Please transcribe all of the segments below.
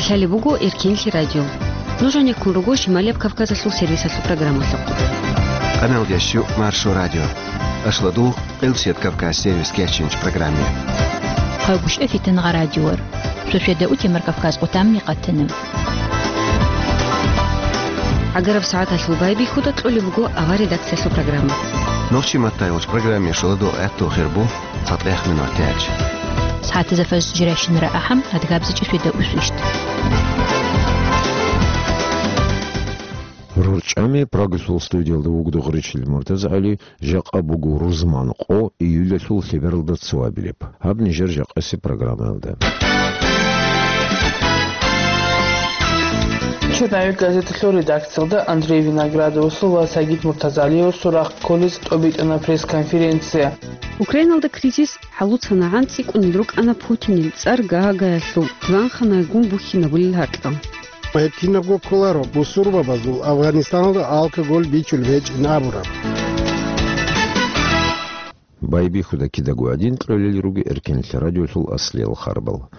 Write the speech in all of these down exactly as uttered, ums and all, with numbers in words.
Лъалеб буго Эркенлъи радио. Нуж гьанеккун руго Шималияб Кавказалъул сервисалъул программалъухъ. Къаналдеш Маршо радио. Ашладу Къилсият Кавказ сервис кечинч программе. Хъагушев Фитангъа радиор. Шошеда утемар Кавказ къутамни къатана. Агараб сагӀаталъул байбихьуда кьолеб буго авар редакциялъул программа. Нохчи маттайгъуч программе шоладу гӀехту хирбу. Цадехъ минутач. СагӀатазда фажр жирайщинара ахӀам, адгабзичӀеб шведа усвищ. РорчӀами Прагалъул студиялда вугода Гъричил МуртазагӀали, жакъа буго рузман къо июлалъул лъебералда цоабилеб. Гьаб нижер жакъасеб программаялда. Черновик газеталъул редакциялда Андрей Виноградовасул ва Сагид Муртазалиевасул рахъ кколез тӀобитӀана пресс-конференция. Украиналда кризис хӀалуцанагӀан цӀикӀкӀунел рукӀана Путинил цӀар Гаагаялъул диванханайгун бухьинабулел гьаркьа. Гьеб кинабго кколаро бусурбабазул Афганистаналда алкоголь бичулеб гьечӀин абураб. Байбихьуда кидаго гӀадин кьолел руго Эркенлъи радиолъул аслиял харбал.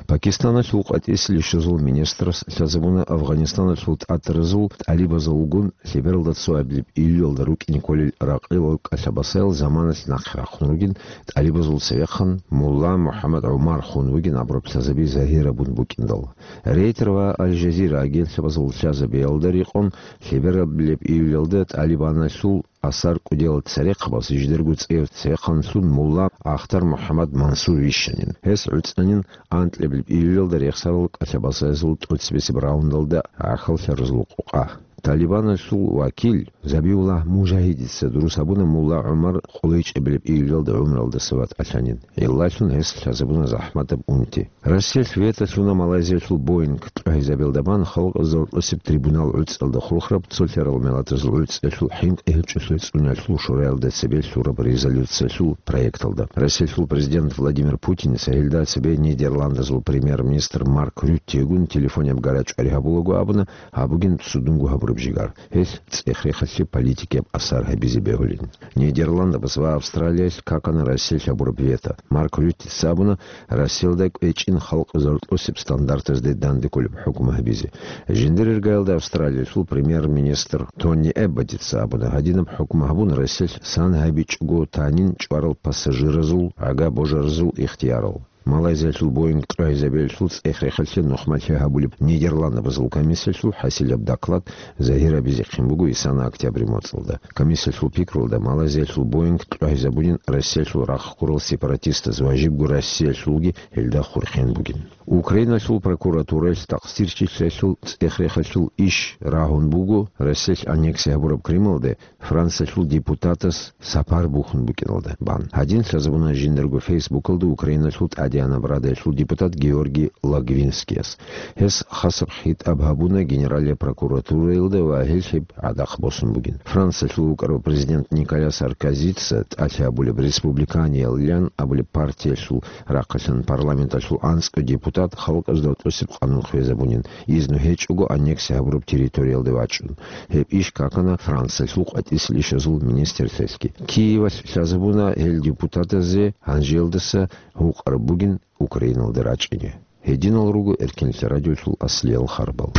Пакистаналъул къватӀиса лъазул министрас лъазабуна Афганистаналъул тӀатаразул тӀалибазулгун лъебералда цоабилеб июлалда рукӀине кколел ракъилал кӀалъабасаял заманалъ нахъе рахъун ругин, тӀалибазул цевехъан мулла МухӀаммад ГӀумар хун вугин абураб лъазаби загьирабун букӀиндал. Рейтер ва Аль-Жазира агентствазул лъазабиялда рекъон, лъебералда июлалда ТӀалибаналъул асар кӀудиял церехъабаз жидерго цӀер цевехъанлъун мулла Ахтар МухӀаммад Мансур вищанин. Гьес гӀуцӀанин анкьабилеб июлалда рехсарал кӀалъабасаязул тӀоцебесеб раундалда гӀахьаллъаразул къокъа. ТӀалибаналъул вакил Забиуллагь Мужагьидица дурус гьабуна мулла ГӀумар къулайчӀебилеб июлалда гӀумралдаса ватӀалъанин. Гьелдалъун гьес лъазабуна захӀматаб унти. Россиялъ вето лъуна Малайзиялъул Боинг кьогьезабиялда бан халкъ заркьосеб трибунал гӀуцӀалда хурхараб цолъарал миллатазул гӀуцӀиялъул хӀинкъи гьечӀолъи цӀуналъул шураялда цебе лъураб резолюциялъул проекталда. Россиялъул президент Владимир Путиница гьелда цебе Нидерландазул премьер-министр Марк Рюттегун телефонаб гарачӀвари гьабулаго абуна, гьабугин судунго гьабураб жигар. Гьелъ цӀех-рехалъе политикияб асар гьабизе бегьулин. Нидерландабаз ва Австралиялъ какана Россиялъ гьабураб вето. Марк Рюттица абуна, Россиялда кӀвечӀин халкъ заркьосеб стандартазде данде кколеб хӀукму гьабизе. Жиндир иргаялда Австралиялъул премьер-министр Тони Эбботица абуна, гьадинаб хӀукму гьабун, Россиялъ сан гьабичӀого танин чӀварал пассажиразул гӀага божаразул ихтиярал. Малайзиялъул Боинг кьогьезабиялъул цӀех-рехалъе нухмалъи гьабулеб Нидерландабазул комиссиялъул хӀасилаб доклад загьирабизехъин буго исана октябрь моцӀалда. Комиссиялъул пикрулда, Малайзиялъул Боинг кьогьезабунин Россиялъул рахъ гурал сепаратистаз ва жибго Россиялъулги гьелда хурхен бугин. Украиналъул прокуратураялъ такъсирчилъиялъул цӀех-рехалъул иш рагьун буго Россиялъ аннексия гьабураб Крымалде Франциялъул депутатас сапар бухьун букӀиналда бан. Гьадин лъазабуна жиндирго фейсбукалда Украиналъул ТӀадегӀанаб Радаялъул депутат Георгий Логвинскияс. Гьес хасаб хитӀаб гьабуна Генералияб прокуратураялда ва гьелъ гьеб гӀадахъ босун бугин. Франциялъул вукӀарав президент Николя Саркозица тӀалъи гьабулеб Республиканиялилан абулеб партиялъул рахъалъан парламенталъул анцӀго депутат халкъазда тӀосеб къанун хвезабунин, изну гьечӀого аннексия гьабураб территориялде вачӀун. Гьеб иш какана Франциялъул къватӀиса лъазул министрлъиялъги. Киевалъ лъазабуна гьел депутатазе гьанжеялдаса гьукъараб бугин Украиналда рачӀине. Гьединал руго Эркенлъи радиолъул аслиял харбал.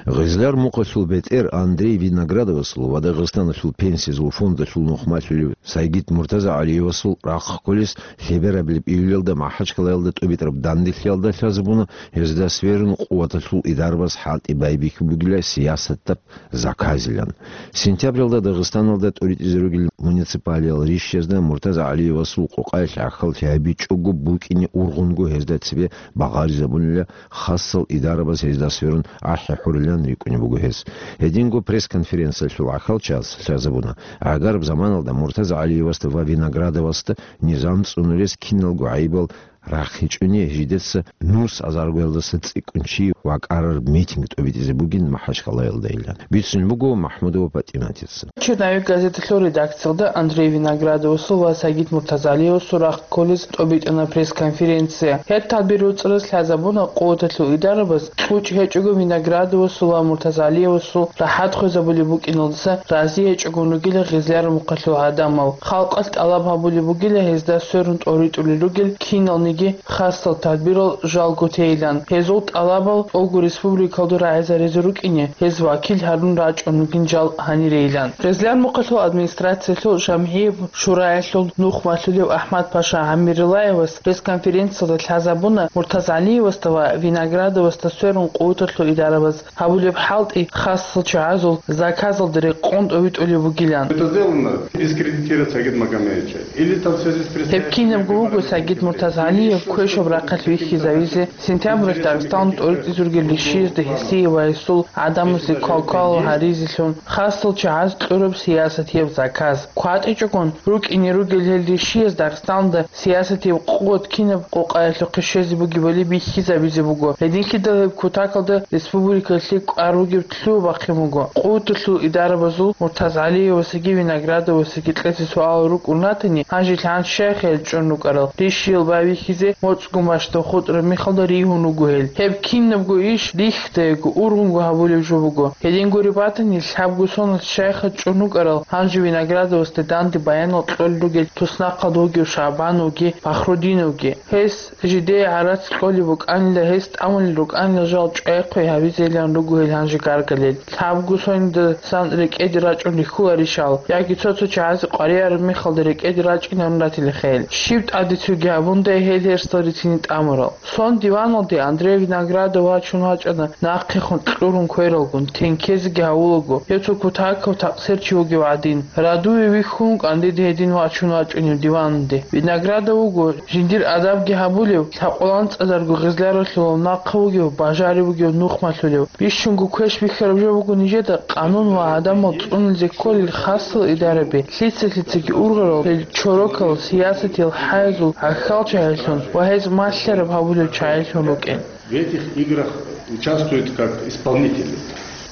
Гъизлар мукъалъул бетӀер Андрей Виноградовасул ва Дагъистаналъул пенсиязул фондалъул нухмалъулев Сайгид МуртазагӀалиевасул рахъ кколес лъеберабилеб июлялда МахӀачкъалаялда тӀубитӀараб данделъиялда лъазабуна гьезда сверун къуваталъул идарабаз хӀалтӀи байбихьи бугила сиясатаб заказилан. Сентябралда Дагъистаналда тӀуритӀизе ругел муниципалиял ришшезда МуртазагӀалиевасул къокъаялъ гӀахьаллъи гьабичӀого букӀине ургъунго гьезда цебе багъаризабунила хасал идарабаз гьезда сверун ахӀи хӀурилан рикӀкӀунеб буго гьез. Гьединго пресс-конференциялъул гӀахьалчияс лъазабуна, гӀагараб заманалда МуртазагӀалиевасда ва Виноградовасда низам цӀунулес киналго гӀайибал рахъинчӀони жидеца нус азаргоялдаса цӀикӀкӀун чи вакӀарар митинг тӀобитӀизе бугин Махачкалаялдайилан, бицун буго МахӀмудова ПатӀиматица. «Черновик» газеталъул редакциялда Андрей Виноградовасул ва Сагид Муртазалиевасул рахъ кколез тӀобитӀана пресс-конференция. Гьеб тадбир руцӀарас лъазабуна къуваталъул идарабаз кьучӀ гьечӀого Виноградовасул ва Муртазалиевасул рахӀат хвезабулеб букӀиналдаса рази гьечӀогун ругила гъезлъараб мухъалъул гӀадамал. Халкъалъ тӀалаб гьабулеб бугила гьезда сверун тӀоритӀулел ругел киналниги хасал тадбирал жалго тейилан. Гьезул тӀалабал тӀолго республикалда рагӀизаризе рукӀине, гьез вакил гьарун рачӀун ругин жал гьанирейилан. Гъезлъар мухъалъул администрациялъул жамгӀияб шураялъул нухмалъулев АхӀмад-паша ГӀамирилаевас пресс-конференциялда лъазабуна Муртазалиевасда ва Виноградовасда сверун къуваталъул идарабаз гьабулеб хӀалтӀи хасал чагӀазул заказалда рекъон тӀовитӀулеб бугилан. Это сделано дискредитировать Сагида Магомаевича. Или там в связи с... Гьеб кинабго буго Сагид Муртазалиев квешаб рахъалъ вихьизавизе, сентябралъ Дагъистан тӀоритӀизургел ришиязда гьесие ва гьесул гӀадамазе квалквал гьаризелъун, хасал чагӀаз кьураб сиясатияб заказ. КватӀичӀогун рукӀине ругел гьел ришияз Дагъистанда сиясатияб къуват кинаб къокъаялъухъе щвезе бугебали бихьизабизе буго. Гьединлъидал гьеб кутакалда республикалъе кӀвар ругеб лъугьа-бахъин буго. Къуваталъул идарабазул Муртазалиевасаги Виноградовасаги кьезе суалал рукӀун ратани, гьанже лъан щайха гьел чӀун рукӀарал ришиял байбихьизе моцӀ гумашда хутӀараб мехалда ригьун руго гьел. Гьеб кинабго иш рихьдаего, ургъунго гьабулеб жо буго. Гьедин гуреб батани, лъабго соналъ щайха чӀун рукӀарал гьанже Виноградовасда данде баянал кьолел ругел туснахъалда вугев ШагӀбановги Фахрудиновги. Гьес жидее гӀарац кьолеб букӀанила, гьес тӀамулел рукӀанила жал чӀвайхъи гьабизейилан руго гьел гьанже гаргалел. Лъабго сонидасан рекӀеде рачӀун рихьуларищал, яги цо-цо чагӀазе къваригӀараб мехалда рекӀеде рачӀинарун ратилаха гьел. Щиб тӀадецуги гьабундай гьел гьерсал рицине тӀамурал. Сон диваналде Андрей Виноградов вачун вачӀана, нахъехун кьурун квералгун, тенкезеги гьавулаго, гьев цо кутакав такъсир чи вугев гӀадин. Радуве вихьун вукӀан дида гьедин вачун вачӀунев диваналде. Виноградов вуго жиндир адабги гьабулев, лъакъуланцӀазарго гъезлъаралъулав нахъа вугев, бажарив вугев нухмалъулев. Бищунго квеш бихьараб жо буго нижеда къанун ва гӀадамал цӀунулзе кколел хасал идараби, лъица-лъицаги ургъарал гьел чорокал сиясатиял хӀаязул гӀахьалчагӀи лъун ва гьез малъараб гьабулев чагӀи лъун рукӀин. В этих играх участвуют как исполнители.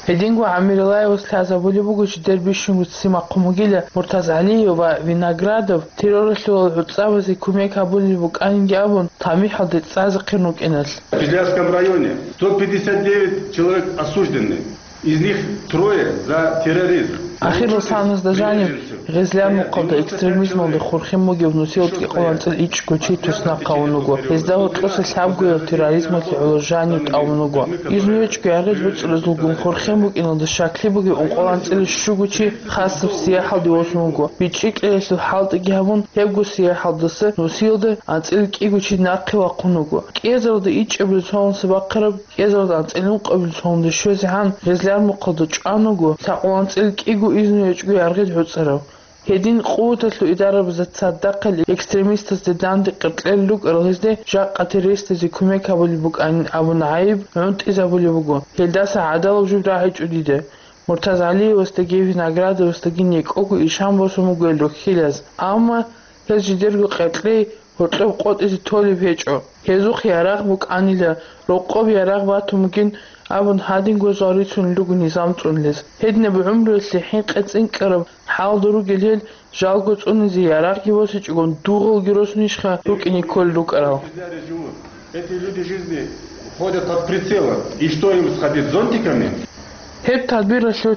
Гьединго ГӀамирилаевас лъазабулеб буго, жидер бищунго ццин бахъун бугила Муртазалиев ва Виноградов терроралъулал гӀуцӀабазе кумек гьабулеб букӀаниги абун, тамихӀалде цӀазехъин рукӀиналъ. В Кизлярском районе сто пятьдесят девять человек осуждены, из них трое за терроризм. Ахирал саназда жаниб, Гъезлъар мухъалда экстремизмалде хурхин бугев нусиялда кӀикъоялда анцӀила ичӀго чи туснахъ гьавун вуго. Гьезда гьоркьоса лъабгоял терроризмалъе гӀоло жанив тӀамун вуго. Изну гьечӀго яргъи гӀуцӀрузулгун хурхин букӀиналда щаклъи бугев ункъоялда анцӀила щуго чи хасаб сияхӀалде восун вуго. БичӀчӀи кьелалъул хӀалтӀиги гьабун, гьебго сияхӀалдаса нусиялда анцӀила кӀиго чи нахъе вахъун вуго. КӀиазаралда ичӀабилеб цоналдаса бахъараб, кӀиазаралда анцӀила ункъабилеб цоналде щвезегӀан Гъезлъар мухъалда чӀван вуго лъакъул анцӀила кӀиго изну гьечӀго яргъи гӀуцӀарав. Гьедин къуваталъул идарабазда цадахъал экстремистазда данде къеркьел рукӀарал гьезде жакъа террористазе кумек гьабулеб букӀанин абун гӀайиб гӀунтӀизабулеб буго. Гьелдаса гӀадалаб жо рагӀичӀо дида. Муртазалиевасдаги Виноградовасдаги некӀого ишан босун буго гьел рухьилаз. Амма гьез жидерго къеркьей гьоркьоб къотӀизе толеб гьечӀо. Гьезухъ ярагъ букӀанила, рокъоб ярагъ батун бугин абун гьадинго зал рицунел руго низам цӀунулез. Гьединаб гӀумруялъе хӀинкъи цӀинкӀкӀараб хӀалда ругел гьел жалго цӀунизе ярагъги босичӀогон дугъалги росунищха рукӀине кколел рукӀарал? Эти люди жизни ходят под прицелом. И что, им сходить с зонтиками? Гьеб тадбиралъулъ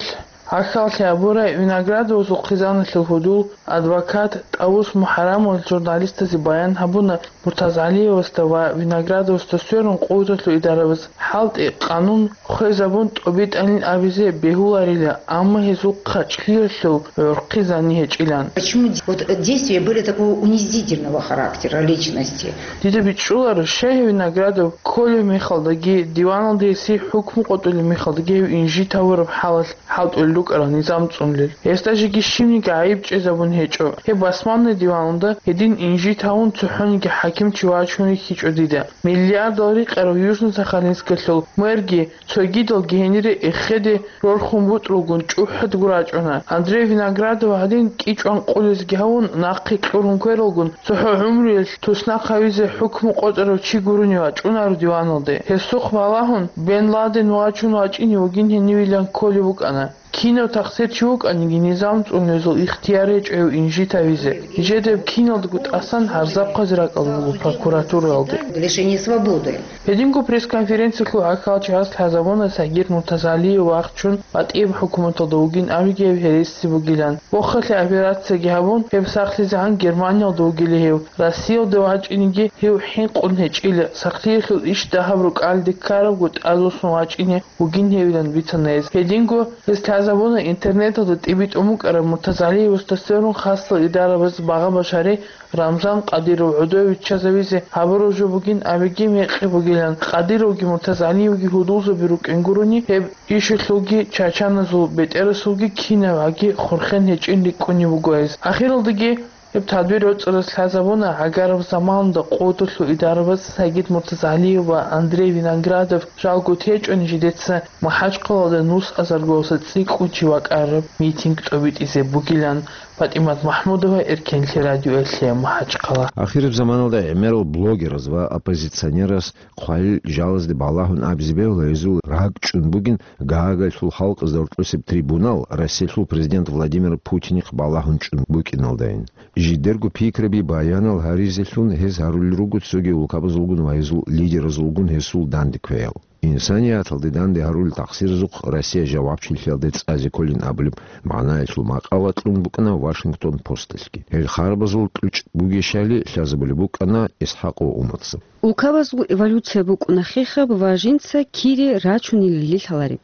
гӀахьаллъи гьабурай Виноградовасул хъизаналъул гьудул адвокат ТӀавус МухӀарамовас журналистазе баян гьабуна, Муртазалиевасда ва Виноградовасда сверун къуваталъул идарабаз хӀалтӀи, къанун хвезабун тӀобитӀанин абизе бегьуларила, амма гьезул хъачӀлъиялъул гӀурхъи зани гьечӀилан. Почему де-, вот, э, действия были такого унизительного характера личности? Дида бичӀчӀуларо, щай гьев Виноградов кколев мехалдаги, диваналда гьесие хӀукму къотӀулев мехалдаги гьев инжит гьавураб хӀалалъ хӀалтӀулел рукӀарал низам цӀунулел. Гьесда жеги щибниги гӀайиб чӀезабун гьечӀо. Гьеб басманлъи диваналда гьедин инжит гьавун цохӀониги хӀакимчи вачун рихьичӀо дида. Миллиардал рикъарав Южно-Сахалинскалъул мэрги цогидалги гьенире эхеде рорхун бутӀрулгун чӀухӀадго рачӀуна. Андрей Виноградов гьадин кӀичӀван къулезги гьавун, нахъе кьурун квералгун, цохӀо гӀумруялъ туснахъ гьавизе хӀукму къотӀарав чи гурони вачӀунаро диваналде. Гьесухъ балагьун, Бен Ладен вачун вачӀине вугин гьенивилан кколеб букӀана. Кинав тахсир чи вукӀаниги, низам цӀунулезул ихтияр гьечӀо гьев инжит гьавизе. Нижеда гьеб киналдаго тӀасан гьарзахъазе ракӀалда буго прокуратуралде. Лишение свободы. Гьединго пресс-конференциялъул гӀахьалчагӀаз лъазабуна Сагид Муртазалиев вахчун батӀияб хӀукуматалда вугин абиги гьеб гьереси бугилан. Вохалъе операцияги гьабун, гьеб сахлъизегӀан Германиялда вугила гьев. Россиялде вачӀинеги гьев хӀинкъун гьечӀила, сахлъиялъул иш дагьаб рукӀалде ккарабго тӀадвуссун вачӀине вугин гьевилан бицана гьез. Гьединго гьез лъазабуна интернеталда тӀибитӀун букӀараб Муртазалиевасда сверун хасал идарабаз багъа-башари Рамзан Къадиров гӀодове виччазавизе гьабураб жо бугин абиги мекъи бугилан. Къадировги Муртазалиевги гьудулзаби рукӀин гурони, гьеб ишалъулги чачаназул бетӀерасулги кинабгӀаги хурхен гьечӀин рикӀкӀунеб буго гьез. Ахиралдаги гьеб тадбир гӀоцӀарас лъазабуна гӀагараб заманалда къотӀулъул идарабаз Сагид Муртазалиев ва Андрей Виноградов жалго течӀони жидеца МахӀачхъалалда нус азаргоялдаса цӀикӀкӀун чи вакӀараб митинг тӀобитӀизе бугилан. ПатӀимат МахӀмудова, Эркенлъи радиоялъе, МахӀачхъала. Ахираб заманалда гӀемерал блогераз ва оппозиционераз хъвалил жалазде балагьун абизе бегьула гьезул ракӀчӀун бугин Гаагайлъул халкъазда гьоркьосеб трибунал Россиялъул президент Владимир Путинихъ балагьун чӀун букӀиналдайин. Жидерго пикраби баянал гьаризелъун гьез гьарулел руго цоги улкабазулгун ва гьезул лидеразулгун гьесул данде квеял. Инсанияталде данде гьарулел тахсирзухъ Россия жавабчилъиялде цӀазе кколин абулеб магӀнаялъул макъала кьун букӀана Вашингтон Посталъги. Гьел харабазул кьучӀ бугещали лъазабулеб букӀана ИсхӀакъ ва Умарца. Улкабазул эволюция букӀуна хехаб ва жинца кире рачунилали лъалареб.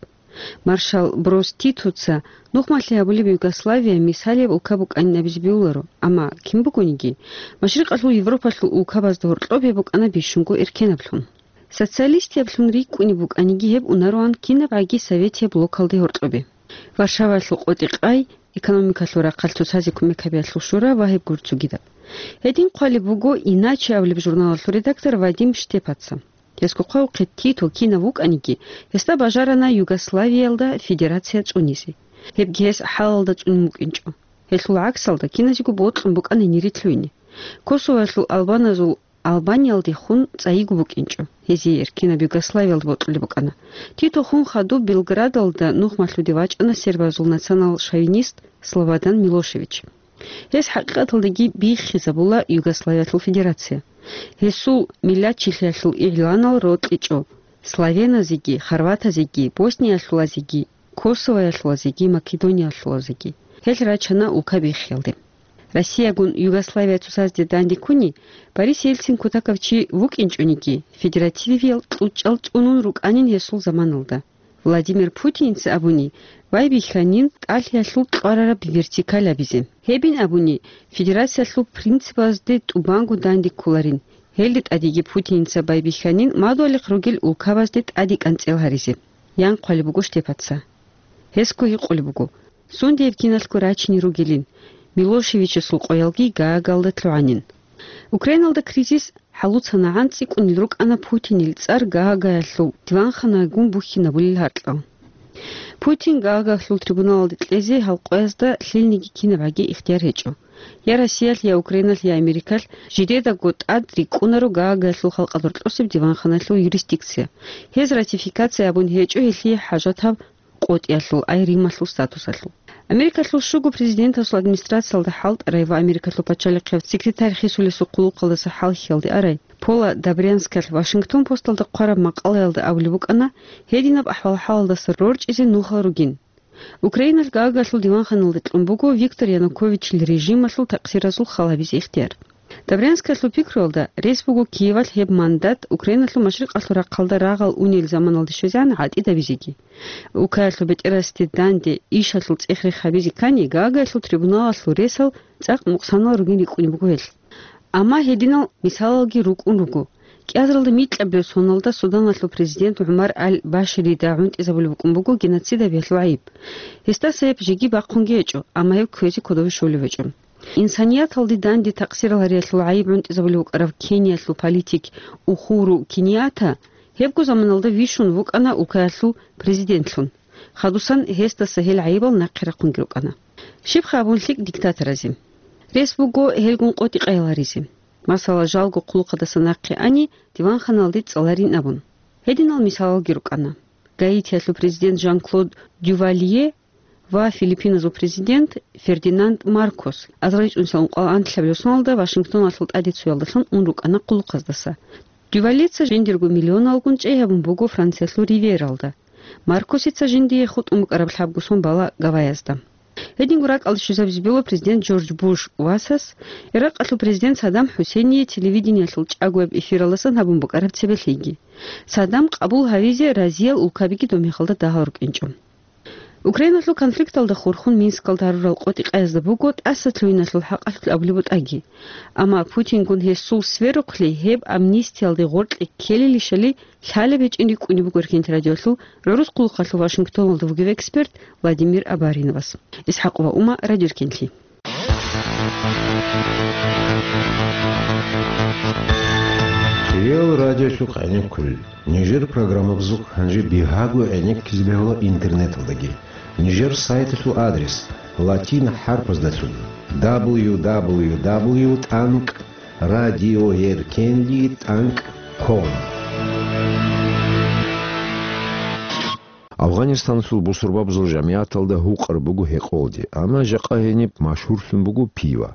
Маршал Брос Титоца нухмалъи гьабулеб Югославия мисалияб улка букӀанин абизе бегьуларо, амма кин бугониги, Машрикъалъул Европалъул улкабазда гьоркьоб гьеб букӀана бищунго эркенаблъун. Социалистияблъун рикӀкӀунеб букӀаниги гьеб унароан кинабгӀаги советияб блокалде гьоркьобе. Варшаваялъул къотӀи-къай, экономикалъул рахъалъ цоцазе кумек гьабиялъул шура ва гьеб гур цогидаб. Гьедин хъвалеб буго «Иначе» абулеб журналалъул редактор Вадим Штепаца. Гьесго хъвавухъе, Тито кинав вукӀаниги, гьесда бажарана Югославиялда федерация цӀунизе. Гьебги гьес хӀалалда цӀунун вукӀинчӀо. Гьелъул гӀаксалда киназего бокьун букӀана гьенире лъугьине. Косовоялъул албаназул Албаниялдехун цӀайиго букӀинчӀо. Гьезие эркинаб Югославиялда бокьулеб букӀана. Тито хун хадуб Белградалда нухмалъуде вачӀана сербазул национал-шовинист Слободан Милошевич. Гьес хӀакъикъаталдаги биххизабула Югославиялъул федерация. Гьесул миллатчилъиялъул игъланал рокьичӀо славяназеги, хорватазеги, босниялъулазеги, косовоялъулазеги, македониялъулазеги. Гьел рачана улка биххиялде. Россиягун Югославия цоцазде данде ккуни, Борис Ельцин кутакав чи вукӀинчӀониги, федеративиял кьучӀал цӀунун рукӀанин гьесул заманалда. Владимир Путинца абуни, байбихьанин тӀалъиялъул кьварараб вертикаль абизе. Гьебин абуни, федерациялъул принципазде тӀубанго данде кколарин. Гьелде тӀадеги Путинца байбихьанин мадугьалихъ ругел улкабазде тӀаде кӀанцӀел гьаризе. Ян хъвалеб буго Штепаца. Гьесго гьикъулеб буго, сундияб киналъго рачине ругелин, Милошевичасул къоялги Гаагалда лъугӀанин. Украиналда кризис хӀалуцанагӀан цӀикӀкӀунел рукӀана Путинил цӀар Гаагаялъул диванханагун бухьинабулел гьаркьал. Путин Гаагаялъул трибуналалде кьезе гьал къоязда лъилниги кинабгӀаги ихтияр гьечӀо. Я Россиялъ, я Украиналъ, я Америкалъ жидедаго тӀад рикӀкӀунаро Гаагаялъул халкъалда гьоркьосеб диванханалъул юрисдикция. Гьез ратификация абун гьечӀо гьелъие хӀажатаб къотӀиялъул, ай Рималъул статусалъул. Америкалъул щуго президентасул администрациялда хӀалтӀарай ва Америкалъул пачалихъияв секретарь хисулесул хъулухъалдаса хӀалхьиялде арай Пола Добрянскалъ Вашингтон Посталда хъвараб макъалаялда абулеб букӀана, гьединаб ахӀвал-хӀалалдаса рорчӀизе нухал ругин. Украиналъ Гаагаялъул диванханалде кьун буго Виктор Януковичил режималъул такъсиразул хал гьабизе ихтияр. Добрянскалъул пикруялда, рес буго Киевалъ гьеб мандат Украиналъул машрикъалъул рахъалда рагъал унел заманалде щвезегӀан гӀатӀидабизеги. Улкаялъул бетӀерасде данде ишалъул цӀех-рех гьабизе ккани, Гаагаялъул трибуналалъул ресал цӀакъ нукъсанал ругин рикӀкӀунеб буго гьелъ. Амма гьединал мисалалги рукӀун руго. КӀиазаралда микьабилеб соналда Суданалъул президент ГӀумар аль-Баширида гӀунтӀизабулеб букӀун буго геноцид гьабиялъул гӀайиб. Гьесдаса гьеб жеги бахъунги гьечӀо, амма гьеб кквезе кодобе щолеб гьечӀо. Инсанияталде данде такъсирал гьариялъул гӀайиб гӀунтӀизабулев вукӀарав Кениялъул политик Ухуру Кенията гьебго заманалда вищун вукӀана улкаялъул президентлъун. Хадусан гьесдаса гьел гӀайибал нахъе рахъунги рукӀана. Щибха абун лъикӀ диктаторазе? Рес буго гьелгун къотӀи-къайил гьаризе. Масала, жалго хъулухъадаса нахъе ани, диванханалде цӀаларин абун. Гьединал мисалалги рукӀана. Гаитиялъул президент Жан-Клод Дювалье ва Филиппиназул президент Фердинанд Маркос азарилчӀунсал ункъоялда анлъабилеб соналда Вашингтоналъул тӀаде цоялдалъун ун рукӀана хъулухъаздаса. Дювалеца жиндирго миллионалгун чӀей гьабун буго Франциялъул Ривьералда. Маркосица жиндие хутӀун букӀараб лъабго сон бала Гавайязда. Гьединго ракӀалде щвезабизе бегьула президент Джордж Буш васас Иракъалъул президент Саддам ХӀусейние телевидениялъул чӀагояб эфиралдасан гьабун букӀараб цебе лъиги. Саддам къабул гьавизе разиял улкабиги доб мехалда дагьал рукӀинчӀо. Украиналъул конфликталда хурхун Минскалда гьарурал къотӀи-къаязда буго тӀаса лъугьиналъул хӀакъалъулъ абулеб бутӀаги. Амма Путингун гьесул сверухълъи гьеб амнистиялде гъоркье ккелилищали лъалеб гьечӀин рикӀкӀунеб буго Эркенти радиолъул гӀурус хъулухъалъул Вашингтоналда вугев эксперт Владимир Абариновас. ИсхӀакъова Ума, Радио Эркенлъи. Кирил радиолъухъ гӀенеккулел. Нижер программабазухъ гьанже бигьаго гӀенеккизе бегьула интернеталдаги. Нижер сайталъул адрес латин хӀарпаздалъун: дабл ю дабл ю дабл ю тӀанкӀ радиоеркенли тӀанкӀ ком. Афганистаналъул бусурбабазул жамигӀаталда гьукъар буго гьекъолде, амма жакъа гьениб машгьурлъун буго пива.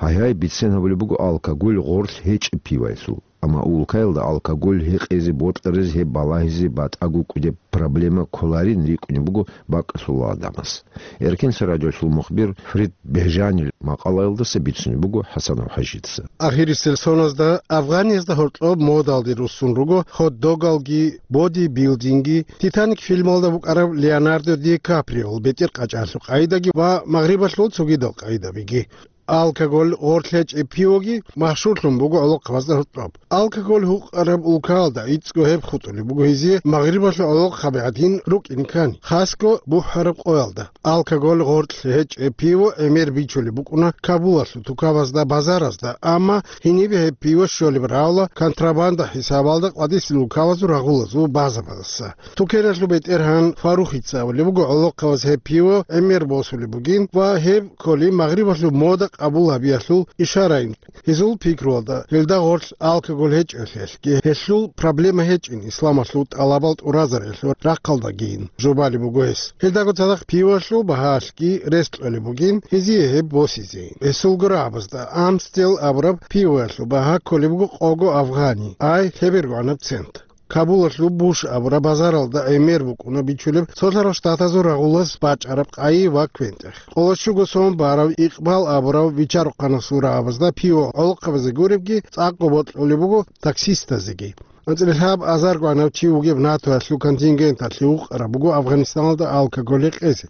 Гьайгьай, бицен гьабулеб буго алкоголь гъорлъ гьечӀеб пиваялъул. Амма улкаялда алкоголь гьекъезе бокьаризе гьеб балагьизе батӀаго кӀудеб проблема кколарин рикӀкӀунеб буго бакӀалъулал гӀадамаз. Эркенлъи радиолъул мухбир Фрид Бежанил макъалаялдаса бицунеб буго ХӀасанов ХӀажица. Ахирисел соназда Афганиязда гьоркьоб модалде руссун руго хот-догалги, бодибилдинги, Титаник фильмалда букӀараб Леонардо Ди Каприол бетӀер къачӀалъул къайдаги ва магърибалъул цогидал къайдабиги. Алкоголь гъорлъ гьечӀеб пивоги машгьурлъун буго гӀолохъабазда гьоркьоб. Алкоголь гьукъараб улкаялда гӀицӀго гьеб хутӀулеб буго гьезие магърибалъул гӀолохъаби гӀадин рукӀин ккани, хасго бухӀараб къоялда. Алкоголь гъорлъ гьечӀеб пиво гӀемер бичулеб букӀуна Кабулалъул тукабазда, базаразда, амма гьенибе гьеб пиво щолеб равла контрабанда хӀисабалда къвадисел улкабазул рагъулазул базабаздаса. Тукералъул бетӀергьан Фарухица абулеб буго, гӀолохъабаз гьеб пиво гӀемер босулеб бугин ва гьеб кколи магърибалъул мода къабул гьабиялъул ишараин. Гьезул пикруялда, гьелда гъорлъ алкоголь гьечӀолъиялъги, гьелъул проблема гьечӀин исламалъул тӀалабал тӀуразариялъул рахъалдагийин, жубалеб буго гьес. Гьелдаго цадахъ пивалъул багьаялъги рес кьолеб бугин гьезие гьеб босизейин. Гьесул гурабазда Амстел абураб пиваялъул багьа кколеб буго къого афгъани, ай лъебергогӀанаб цент. Кабулалъул Буш абураб базаралда гӀемер букӀуна бичулеб Цолъарал Штатазул рагъулас бачӀараб къайи ва квен-тӀех. Къоло щуго сом барав Икъбал абурав бича-рухъанасул рагӀабазда пиво гӀолохъабазе гуребги цӀакъго бокьулеб буго таксистазеги. АнцӀила лъабазаргогӀанав чи вугеб НАТОялъул контингенталъе вукъараб буго Афганистаналда алкоголь гьекъезе.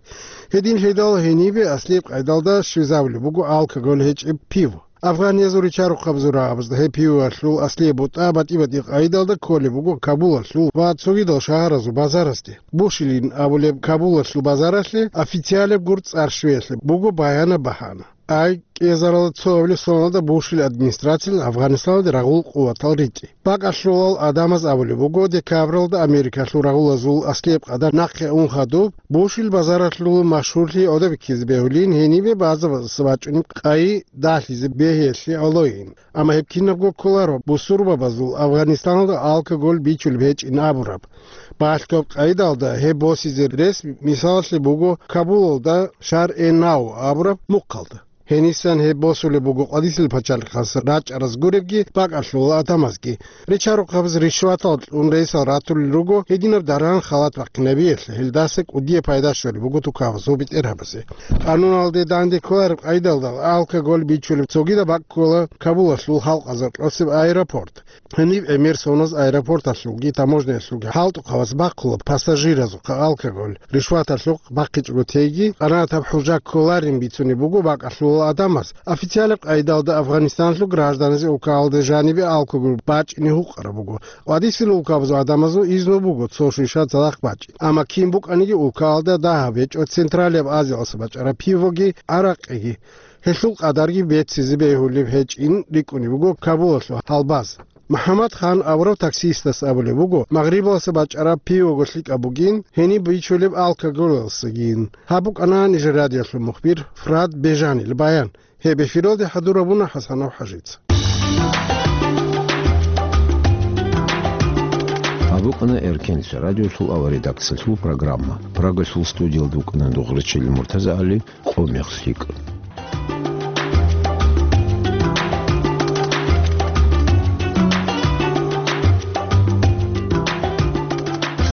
Гьединлъидал гьенибе аслияб къайдалда щвезабулеб буго алкоголь гьечӀеб пиво. Афганиязул ричарухъабазул рагӀабазда гьеб пивоялъул аслияб бутӀа батӀи-батӀи къайдалда кколеб буго Кабулалъул ва цогидал шагьаразул базарасде. Бушилин абулеб Кабулалъул базаралъе официалеб гур цӀар щвеялъе буго баянаб багьана. Ай кӀезарал цоабилеб соналда Бушил администрациялъ Афганистаналде рагъул къуватал ритӀи. БакӀалъулал гӀадамаз абулеб буго, декабралда Америкалъул рагъулазул аслияб къадар нахъе ун хадуб, Бушил базаралъул машгьурлъи гӀодобиккизе бегьулин гьенибе базабаздаса бачӀунеб къайи далъизе бегьиялъе гӀолойин. Амма гьеб кинабго кколаро бусурбабазул Афганистаналда алкоголь бичулеб гьечӀин абураб. Балъгояб къайдалда гьеб босизе рес мисалалъе буго Кабулалда Шар-э-Нав абураб мухъалда. Гьенисан гьеб босулеб буго къвадисел пачалихъас рачӀараз гуребги бакӀалъул гӀадамазги. Ричарухъабаз ришватал кьун рейсал ратулел руго гьединаб даран халат бахъинабиялъе, гьелдаса кӀудияб пайда щолеб буго тукабазул бетӀергьабазе. Къануналде данде кколареб къайдалда алкоголь бичулеб цогидаб бакӀ ккола Кабулалъул халкъазул кьосеб аэропорт. Гьениб гӀемер соназ аэропорталъулги таможняялъулги хӀалтӀухъабаз бахъула пассажиразухъа алкоголь, ришваталъухъ бахъичӀого теги, къанагӀатаб хӀужа кколарин бицунеб буго бакӀалъул Гьел гӀадамаз официалаб къайдалда Афганистаналъул гражданазе улкаялда жанибе алкогол бачӀине гьукъараб буго. Ва дисил улкабазул гӀадамазул изну буго цо шиша цадахъ бачӀин. Амма кин букӀаниги улкаялда дагьаб гьечӀо Централияб Азиялъа бачӀараб пивоги, гӀаракъиги. Гьелъул къадарги беццизе бегьулеб гьечӀин рикӀкӀунеб буго Кабулалъул гьалбаз. МухӀаммад Хан абурав таксистас абулеб буго, Магърибалъа бачӀараб пивого лъикӀаб бугин, гьениб бичулеб алкоголалъагин. Гьаб букӀана нижер радиолъул мухбир Фрад Бежанил баян. Гьеб эфиралде хӀадурабуна ХӀасанов ХӀажица. Гьаб букӀана Эркенлъа радиолъул авария редакциялъул программа. Прагалъул студиялда вукӀана Дугърачил МуртазагӀали, къо мех лъикӀ.